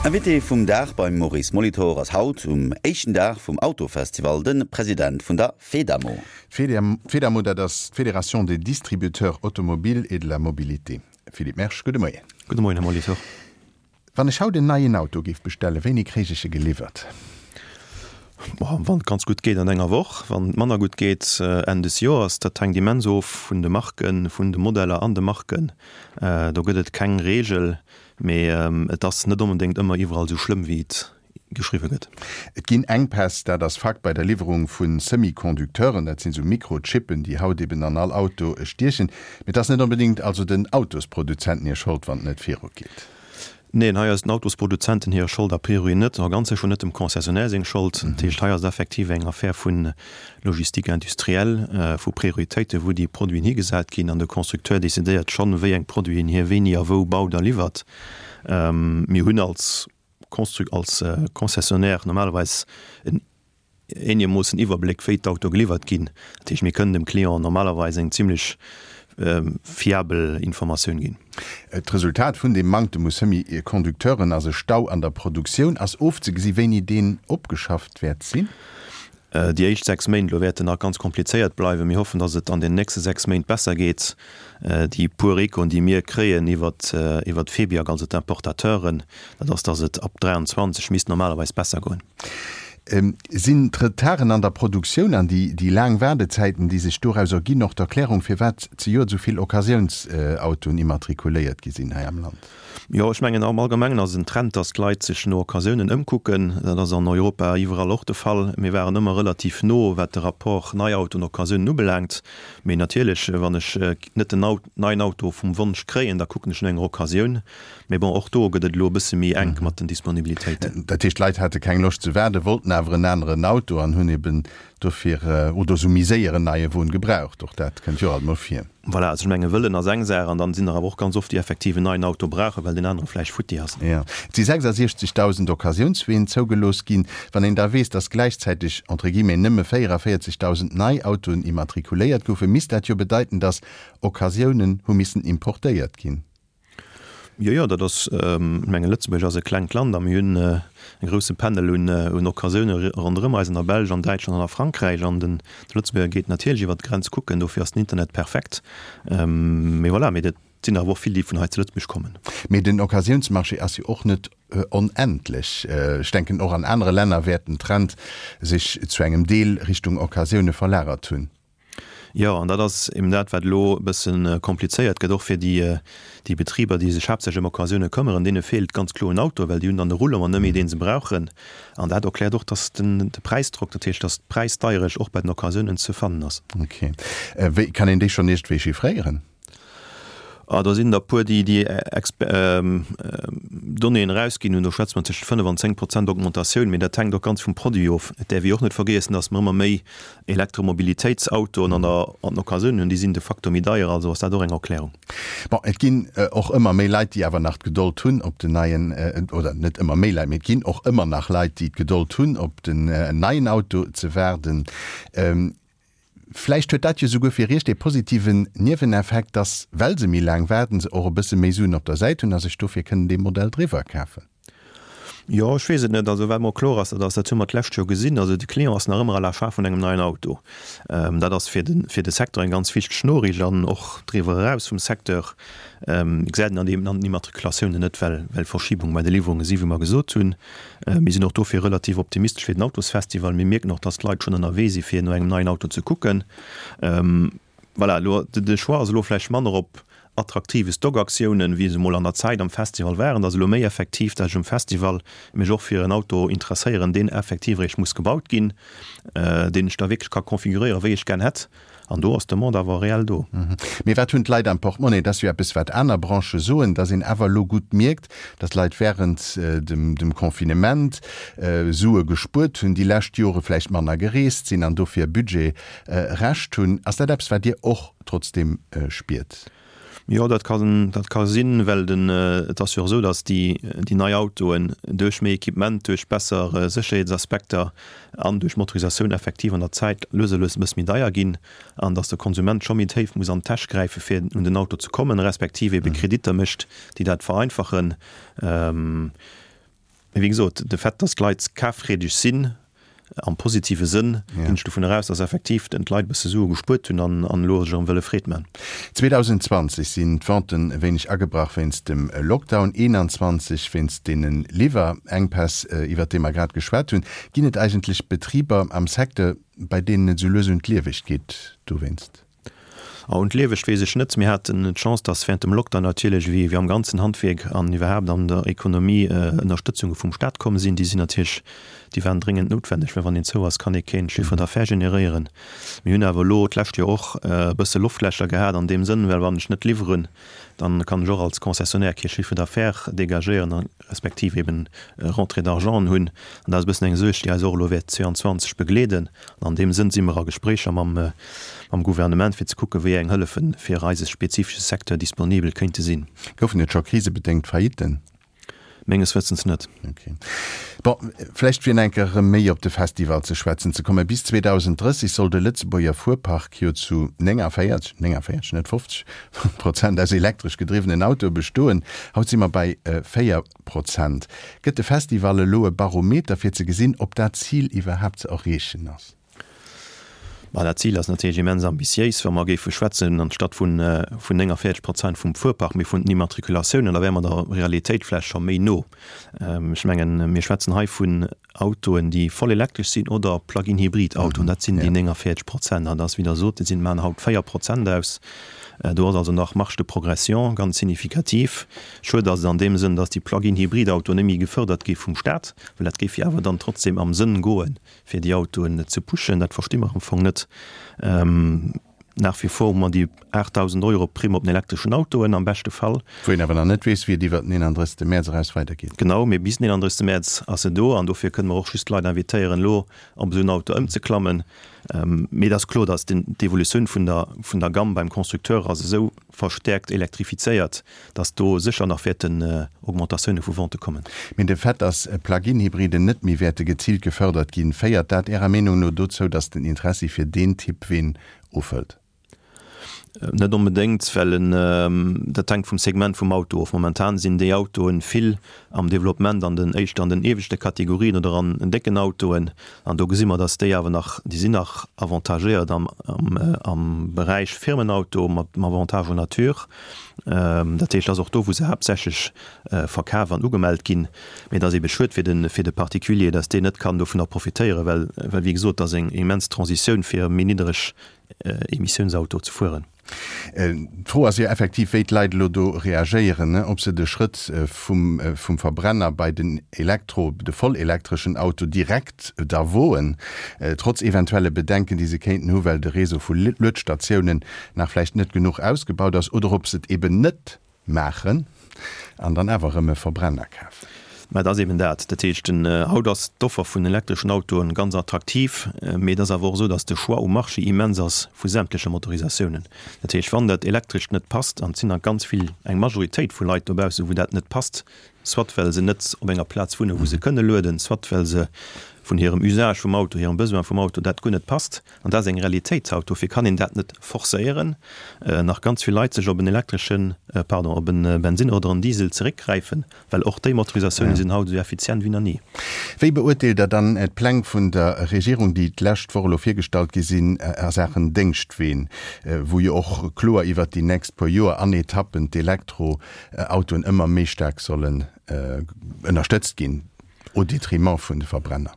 Invité vum Dag beim Maurice Molitor ass haut um éischten Dag vum Autofestival de President vun der Fedamo. D'Fedamo, dat ass d'Fédération des distributeurs automobiles et de la mobilité. Philippe Mersch, gudde Moien. Gudde Moien, Här Molitor. Wann ech haut en neien Auto géif bestellen, wéini kréich ech e geliwwert? Wann et ganz gutt geet, an enger Woch. Wann et manner gutt geet, Enn des Joers. Dat hänkt immens of vun de Marken, vun de Modeller an de Marken. Do gëtt et keng Reegel, mee et ass net onbedéngt ëmmer iwwerall esou schlëmm, wéi et geschriwwe gëtt. Et ginn Enkpäss, dat ass Fakt, bei der Liwwerung vu Semi-Conducteuren. Dat sinn esou Mikrochippen, déi haut eben an all Auto stiechen. Mee et ass net onbedéngt also den Autosproduzenten hir Schold, wann et net virugeet. Neen, hei ass den Autosproduzenten hir Schold a priori net, a ganz sécher net dem Concessionnaire seng Schold. Dat heescht, hei ass et effektiv eng Affär vu Logistique industrielle, vu Prioritéiten, wou déi Produiten higesat ginn, an de Constructeur decidéiert schonn, wéi eng Produiten hie wéini a wou baut a liwwert. Mir hunn als Constru-, als Concessionnaire normalerweis en eenegermoossen Iwwerbléck, wéi d'Autoe geliwwert ginn. Dat heescht, mir kënnen dem Client normalerweis eng zimlech fiabel Informatioun ginn. D'Resultat vun deem Manktem u Semi-Conducteuren ass e Stau an der Produktioun. Ass ofzegesi wéini deen opgeschafft wäert sinn? Déi éischt 6 Méint elo wäerten nach ganz komplizéiert bleiwen. Mir hoffen, datt et an den nächste 6 Méint besser geet. Déi puer Echoen, déi mir kréien iwwert d'Febiac, also d'Importateuren, dat ass, datt et ab 23 misst normalerweis besser goen. Sinn d'Retarden an der Produktioun an déi laang Waardezäiten, déi sech doraus erginn, och d'Erklärung, firwat zejoert esou vill Occasiounsautoen immatrikuléiert gi sinn hei am Land? Jo, ech mengen am Allgemengen ass et en Trend, datt d'Leit sech no Occasiounen ëmkucken. Dat ass an Europa iwwerall och de Fall. Mir waren ëmmer relativ no, wat de Rapport Neiauto an Occasiounen ubelaangt. Mee natierlech, wann ech net den neien Auto vum Wonsch kréien, da kucken ech no enger Occasioun. Mee bon, och do gëtt et elo e bësse méi enk mat den Disponibilitéiten. Dat heescht, d'Leit hate keng Loscht ze waarden, wollten awer en aneren Auto an hunn eben dofir, oder esou méi séier en neie Won gebraucht. Och dat kënnt jo alt mol vir. Voilà, also ech menge wëllen ass eng Saach an dann sinn der awer och ganz oft, déi effektiv en neien Auto brauchen, well deen anere vläicht futti ass. Jo, et si 66.000 Occasiounsween zougelooss ginn. Wann een da weess, datt gläichzäiteg, entre guillemets, nëmme 44.000 nei Autoen immatrikuléiert goufen, misst dat jo bedeiten, datt Occasiounen hu missen importéiert ginn. Jo, jo, dat ass, ech mengen, Lëtzebuerg ass e klengt Land a mir hunn e grousse Panel un un Occasioune ronderëm eis, an der Belsch, an Däitschland an a Frankräich. An den de Lëtzebuerger geet natierlech iwwer d'Grenz kucken, dofir ass den Internet perfekt. Mee voilà, mee dat sinn awer och vill, déi vun hei zu Lëtzebuerg kommen. Mee den Occasiounsmarché ass jo och net onendlech. Ech denken, och an anere Länner wäert den Trend sech zu engem Deel Richtung Occasioune verlagert hunn. Jo, an dat ass eben dat, wat elo e bësse komplizéiert gëtt, och fir déi, déi Betriber, déi sech haaptsächlech ëm Occasioune këmmeren. Deene feelt ganz kloer en Auto, well déi hunn dann de Roulement net méi, dee se brauchen. An dat erkläert och, dass den, de Präisdrock, dat heescht, dass d'Präisdeierecht och bei den Occasiounen ze fannen ass. Okay. Wéi, kann een déi schonn iergendwéi chiffréieren? Ah, do sinn der e puer, déi déi Donnéeën erausginn hunn. Do schwätze mer tëschent 5 an 10 Prozent Augmentatioun, mee dat hänkt och ganz vum Produit of. Et däerf ee och net vergiessen, datt mer ëmmer méi Elektromobilitéitsautoen an der an den Occasiounen hunn. Déi sinn de facto méi deier, also ass dat och eng Erklärung. Bon, et ginn och ëmmer méi Leit, déi awer nach d'Gedold hunn op den neien, oder net ëmmer méi Leit, mee et ginn och ëmmer nach Leit, déi d'Gedold hunn op den neien Auto ze waarden. Vläicht huet dat jo souguer fir Iech dee positiven Nieweneffekt, dass, well se méi laang waarden, se och e bësse méi Suen op der Säit hunn a sech dofir kënnen dee Modell driwwer kafen. Jo, ech weess et net. Also wat mer kloer ass, dat ass, dat hu mer d'lescht Joer gesinn, also de Client ass nach ëmmer à l'achat vun engem neien Auto. Dat ass fir de, fir de Secteur eng ganz wichteg Noriicht an och driwwer eraus vum Secteur gesäit een an deem, an den Immatrikulatiounen net, well, well Verschibung bei de Liwwerunge si wéi mer gesot hunn. Mir sinn och dofir relativ optimistesch fir den Autosfestival. Mir mierken och, dass d'Leit schonn ënnerwee si fir no engem neien Auto ze kucken. Voilà, elo de Choix ass elo vläicht manner op attraktive Stockaktiounen, wéi se emol an der Zäit am Festival waren. Et ass elo méi effektiv, dass ech um Festival mech och fir en Auto interesséieren, deen effektiv eréischt muss gebaut ginn, deen ech da wierklech ka konfiguréieren, wéi ech gär hätt. An do ass d'Demande awer reell do. Mee wat hunn d'Leit am Portmonnaie? Et ass jo eppes, wat aner Branchë soen, dass een awer elo gutt mierkt, dass d'Leit wärend dem Confinement Sue gespuert hunn, déi lescht Jore vläicht manner gereest sinn an dofir Budget Rescht hunn. Ass dat eppes, wat Dir och trotzdeem spiert? Jo, dat kann, dat ka sinn, well den, et ass jo och esou, datt déi, déi nei Autoen duerch méi Equipement, duerch besser Sécherheetsaspekter an duerch Motorisatioun effektiv an der Zäit lues a lues e bësse méi deier ginn an datt de Konsument scho méi déif muss an d'Täsch gräife fir un den Auto ze kommen, respektiv ebe Kreditter mécht, déi dat vereinfachen. Mee wéi gesot, de Fait, dass d'Leit kaffreedeg sinn, am positive Sënn, ginn ech dovun eraus, dass effektiv d'Leit e bësse Sue gespuert hunn an elo sech erëm wëlle Freed man. 2020 sinn d'Venten e wéineg agebrach wéinst dem Lockdown, 21 wéinst deene Liwwerenkpäss, iwwert déi mer grad geschwat hunn. Ginn et eigentlech Betriber am Secteur, bei deenen et esou lues un d'Liewegt geet dowéinst? A un d'Liewegt weess ech net. Mir haten d'Chance, dass während dem Lockdown natierlech, wéi am ganzen Handwierk an iwwerhaapt an der Ekonomie, Ënnerstëtzunge vum Staat komm sinn. Déi sinn natierlech, déi waren dréngend noutwenneg, well wann een zou ass, kann ee keen Chiffre d'affaires generéieren. Mir hunn awer elo d'lescht Joer och e bësse Loftlächer gehat an deem Sënn, well wann ech net liwweren, dann kann ech och als Concessionnaire kee Chiffre d'affaires dégagéieren a respektiv eben Rentrée d'argenten hunn. An dat ass e bëssen eng Suerg, déi eis och elo wäert 22 begleeden. An an deem Sënn si mer a Gespréicher mam mam Gouvernement, fir ze kucken, wéi eng Hëllefe fir eise spezifesche Secteur disponibel kéinte sinn. Goufen et scho krisebedéngt Faillitten? Menges Wëssens net. Ok. Bon, vläicht fir nach eng Kéier erëm méi op de Festival ze schwätzen ze kommen. Bis 2030 soll de Lëtzebuerger Fuerpark jo zu 49, 49, net 50, Prozent aus elektresch gedriwwenen Autoe bestoen. Haut si mer bei 4 Prozent. Gëtt de Festival elo e Barometer fir ze gesinn, ob dat Zil iwwerhaapt ze erreechen ass? Ma dat Zil ass natierlech immens ambitiéis. Wa mer géife schwätzen, anstatt vun 49 Prozent vum Fuerpark, mee vun den Immatrikulatiounen, da wäre mer der Realitéit vläicht scho méi no. Ech mengen, mir schwätzen hei vun Autoen, déi voll elektresch sinn oder Plug-in-Hybrid-Autoen. Dat sinn déi 49 Prozent. An dat ass, wéi Der sot, déi sinn, maachen haut 4 Prozent aus. Do ass also nach Marge de progression ganz signifikativ. Schued ass et an deem Sënn, dass déi Plug-in-Hybrid-Autoen net méi gefërdert gi vum Staat, well dat géif jo awer dann trotzdem am Sënn goen, fir déi Autoen ze pushen. Dat versti mer am Fong net. Nach wie vor hu mer déi 8.000 Euro Primm op den elektreschen Autoen am beschte Fall. Wou een awer nach net weess, wéi et iwwert den 31. Mäerz eraus weidergeet. Genau, mee bis den 31. Mäerz ass se do an dofir kënne mer och just d'Leit invitéieren, elo op esou en Auto ëmzeklammen. Mee et ass kloer, datt d'Evolutioun vun der, vun der Gamme beim Constructeur ass esou verstäerkt elektrifizéiert, datt do sécher nach wäerten Augmentatioune vu Vente kommen. Mee de Fait, datt Plug-in-Hybriden net méi wäerte geziilt gefërdert ginn, féiert dat Ärer Meenung no dozou, datt den Interessi fir deen Typ Ween ofhëlt? Net onbedéngt, well en, dat hänkt vum Segment vum Auto of. Momentan sinn déi Autoen vill am Developpement an den éischter an den ieweschte Kategorien oder an décken Autoen. An do gesi mer, datt déi awer nach, déi sinn nach avantagéiert am, am Beräich Firmenauto mat dem Avantage en nature. Dat heescht, dat ass och do, wou se haaptsächlech verkaf an ugemellt ginn. Mee et ass eebe schued fir de, fir de Particulier, datt deen net kann dovunner profitéieren, well, well wéi gesot, et ass eng immens Transitioun fir méi niddereg Emissiounsauto ze fueren. D'Fro ass jo effektiv, wéi d'Leit elo do reagéieren, ob se de Schrëtt vum vum Verbrenner bei den Elektro, de vollelektreschen Auto direkt da woen, trotz eventuelle Bedenken, déi se kéinten hu well de Réseau vu Luedstatiounen nach vläicht net genuch ausgebaut ass, oder ob se et eben net Maachen an dann awer erëm e Verbrenner kafen. Mä et ass eben dat. Dat heescht, haut ass d'Offer vun elektreschen Autoen ganz attraktiv, mee et ass awer och esou, datt de Choix um Marché immens ass vu sämtleche Motorisatiounen. Dat heescht, wann dat Elektrescht net passt, an et sinn der ganz vill, eng Majoritéit vu Leit dobaussen, wou dat net passt, soit well se net op enger Plaz wunnen, wou se kënne lueden, soit well se vun hirem Usage vum Auto, hirem Besoin vum Auto dat guer net passt, An dat ass eng Realitéit haut. Dofir kann een dat net forcéieren, nach ganz vill Leit sech op en elektreschen, pardon, op e Bensinn oder en Diesel zeréckgräifen, well och déi Motorisatiounen sinn haut esou effizient wéi nach ni. Wéi beurteelt Der dann d'Pläng vun der Regierung, déi d'lescht Woch elo virgestallt gi sinn a Saachen Déngschtween, wou jo och kloer iwwert déi nächst puer Joer an Etappen d'Elektroautoen ëmmer méi staark sollen ënnerstëtzt ginn, au détriment vun de Verbrenner?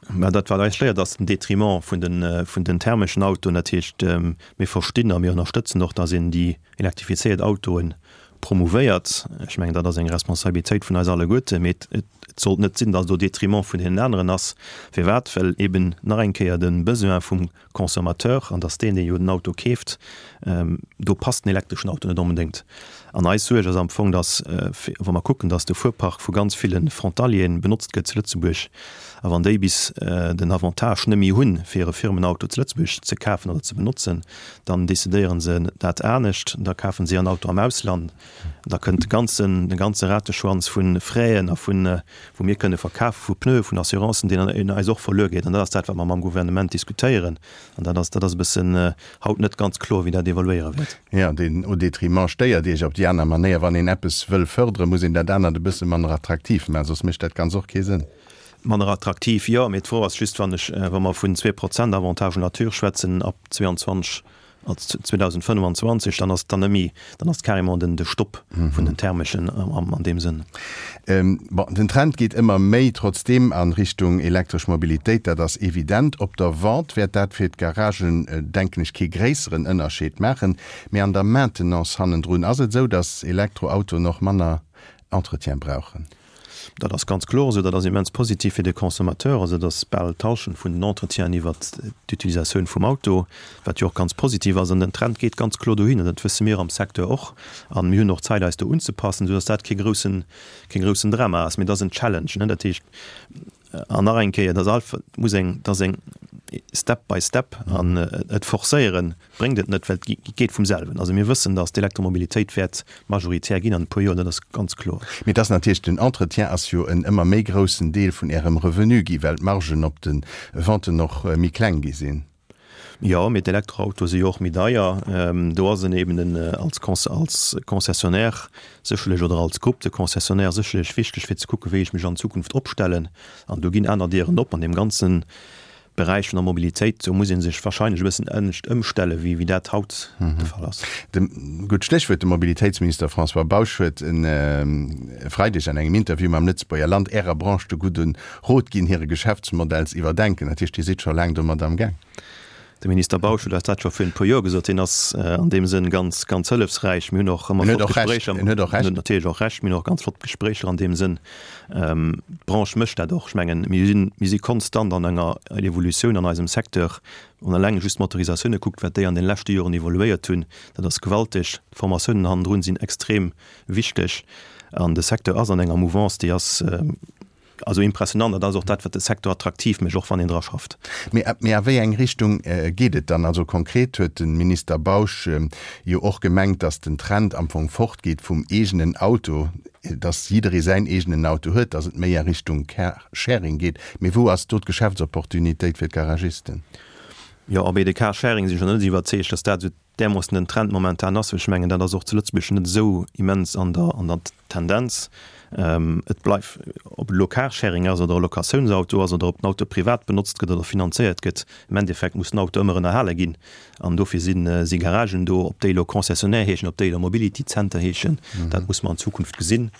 Mä dat wat eis stéiert ass den Détriment vun den, vun den thermeschen Autoen. Dat heescht, mir verstinn a mir ënnerstëtzen och, datt een déi elektrifizéiert Autoe promouvéiert. Ech mengen, dat ass eng Responsabilitéit vun eis alleguerte. Mee et, et sollt net sinn, datt et au détriment vun deenen aneren ass. Firwat? Well eben nach eng Kéier de Besoin vum Consommateur, an dass deen, dee jo den Auto keeft, do passt den elektreschen Auto net onbedéngt. An eis Suerg ass am Fong, dass, wa mer kucken, dass de Fuerpark vu ganz ville Frontalieren benotzt gëtt zu Lëtzebuerg. A wann déi bis den Avantage net méi hunn, fir e Firmenauto zu Lëtzebuerg ze kafen oder ze benotzen, dann decidéiere se dat anescht, da kafen se en Auto am Ausland. Da kënnt de ganzen, de ganze Rateschwanz vu Fraisen a vun, wou mir kënne verkafen, vu Pneue, vun Assurancen, deen eis och verluer geet. An dat ass dat, wat mer mam Gouvernement diskutéieren. An dat ass, dat ass e bëssen haut net ganz kloer, wéi dat evoluéiere wäert. Jo, deen au détriment stéiert Iech op déi aner Manéier. Wann een eppes wëll fërderen, muss een dat anert e bësse manner attraktiv maachen, soss mécht dat Ganz och kee Sënn. Manner attraktiv, jo, mee d'Fro ass just, wann ech, wa mer vun 2% Avantage nature schwätzen ab 22, als 2025, dann ass dann net méi, dann ass carrément den de Stopp vun den thermeschen an deem Sënn. Bon, den Trend geet ëmmer méi trotzdeem a Richtung elektresch Mobilitéit, dat ass evident. Op der Vente wäert dat fir d'Garagen, denken ech, kee gréisseren Ënnerscheed maachen. Mee an der Maintenance hannendrun, ass et esou, datt Elektroautoen och manner Entretien brauchen? Dat ass ganz kloer esou. Dat ass immens positiv fir de Consommateur. Also et ass bal d'Hallschent vun den Entretienen iwwert d'Utilisatioun vum Auto, wat jo och ganz positiv ass. An den Trend geet ganz kloer dohinner. Dat wësse mir am Secteur och. A mir hunn och Zäit, eis do unzepassen, soudass dat kee groussen, kee groussen Drama ass. Mee et ass en Challenge, ne? Dat heescht, an nach eng Kéier, et ass alf, et muss eng, et ass eng Step by Step an et forcéieren bréngt et net, well et geet vum selwen. Also mir wëssen, datt d'Elektromobilitéit wäert majoritär ginn an e puer Joer, dat ass ganz kloer. Mee et ass natierlech, den Entretien ass jo en ëmmer méi groussen Deel vun Ärem Revenu gi well d'Margen op de Venten och méi kleng gi sinn. Jo, mee d'Elektroautoe si jo och méi deier. Do ass en eben en als als Concessionnaire sécherlech oder als Groupe de Concessionnaires sécherlech wichteg fir ze kucken, wéi ech mech an Zukunft opstellen. An do ginn aner Dieren op an deem ganzen Beräich vun der Mobilitéit, do muss ee sech wahrscheinlech e bëssen anescht ëmstellen, wéi wéi dat haut de Fall ass. De, gutt Stéchwuert, de Mobilitéitsminister François Bausch huet e Freideg an engem Interview mam Lëtzebuerger Land Ärer Branche de gudde Rot ginn, hire Geschäftsmodell z'iwwerdenken. Dat heescht, Dir sidd scho laang domat am Gaang. De Minister Bausch huet eis dat scho virun e puer Joer gesot. Hien ass an deem Sënn ganz, ganz hëllefsräich. Mir hunn och ëmmer flott Gespréicher. En huet och Recht. En huet natierlech och Recht. Mir hunn och ganz flott Gespréicher an deem Sënn. D'Branche mécht dat och. Ech mengen, mir sinn, mir si konstant an enger Evolutioun an eisem Secteur. Wann eleng just d'Motorisatioune kuckt, wat déi an de leschte Joren evoluéiert hunn, dat ass gewalteg. D'Formatiounen hannendrun sinn extrem wichteg. An de Secteur ass an enger Mouvance, déi ass, Also impressionant, an dat ass och dat, wat de Secteur attraktiv mécht, och wann een dra schafft. Mee mee a wéi eng Richtung geet et dann? Also konkret huet de Minister Bausch jo och gemengt, datt den Trend am Fong fortgeet vum eegenen Auto, datt jidderee säin eegenen Auto huet, datt et méi a Richtung Car-Sharing geet. Mee wou ass do d'Geschäftsopportunitéit fir d'Garagisten? Jo, a bei de Car-Sharing sinn ech nach net esou iwwerzeegt, datt dat esou därmoossen den Trend momentan ass, well ech mengen, dat ass och zu Lëtzebuerg net esou immens an der, an der Tendenz. Et bleift, ob et elo Carsharing ass oder e Locatiounsauto ass oder ob den Auto privat benotzt gëtt oder finanzéiert gëtt, am Endeffekt muss den Auto ëmmer ënnerhale ginn an dofir si si Garagen do. Ob déi elo Concessionnaire heeschen, ob déi elo Mobility Center heeschen, dat muss mer an Zukunft gesinn.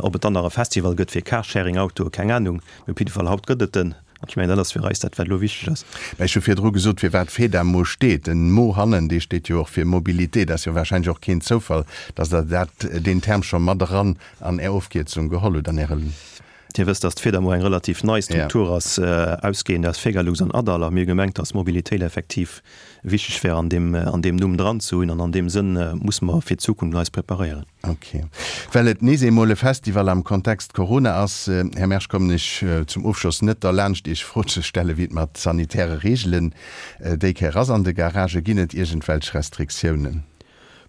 Ob et dann nach e Festival gëtt fir Carsharing-Autoe, keng Anung, mee op jidde Fall haut gëtt et en. An ech mengen, dat ass fir eis dat, wat elo wichteg ass. Mä ech hu virdru gesot, firwat FEDAMO steet. Den Mo hannen, dee steet jo och fir Mobilité. Dat ass jo warscheinlech och keen Zoufall, dass Der dat, deen Term scho mat eran an Är Ofkierzung geholl hutt, an Äre. Dir wësst, dass d'FEDAMO eng relativ nei Struktur ass, ausgehend aus Fegalux an ADAL. A mir hu gemengt, dass Mobilitéit effektiv wichteg wär, an deem, an deem Numm dran ze hunn. An an deem Sënn musse mer fir d'Zukunft eis preparéieren. Ok. Well et nees eemol e Festival am Kontext Corona ass, Här Mersch, kommen ech zum Ofschloss net derlaanscht, Iech d'Fro ze stellen, wéi et mat sanitäre Reegelen déi Kéier ass an de Garagen. Ginn et iergendwelch Restriktiounen?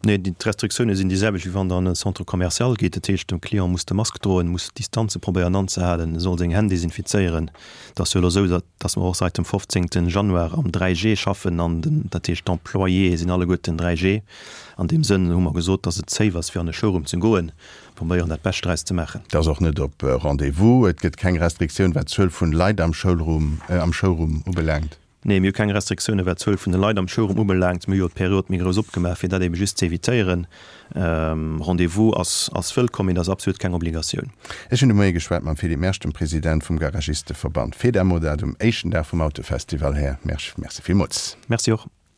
Nee, d'Restriktioune sinn déi selwecht, wéi wann Der an e Centre commercial gitt. Dat heescht, de Client muss de Mask droen, muss d'Distanze probéieren anzehalen, soll seng Hänn desinfizéieren. Et ass jo elo esou, datt mer och seit dem 15. Januar am 3G schaffen an den, dat heescht d'Employéë sinn alleguerten 3G. An deem Sënn hu mer gesot, datt et safe ass fir an e Showroom ze goen. Probéieren dat Bescht draus ze maachen. Et ass och net op Rendez-vous. Et gëtt keng Restriktioun wat d'Zuel vun Leit am Schoulroom, am Showroom ubelaangt. Nee, mir hu keng Restriktioune wat d'Zuel vun de Leit am Showroom ubelaangt. Mir hu jo d'Period méi grouss opgemaach, fir dat ebe just ze evitéieren. Rendez-vous ass ass wëllkomm, mee dat ass absolut keng Obligatioun. Ech hunn de Moie geschwat mam Philippe Mersch, dem President vum Garagisteverband Fedamo, dat um éischten Dag vum Autofestival. Här Mersch, Merci villmools. Merci och.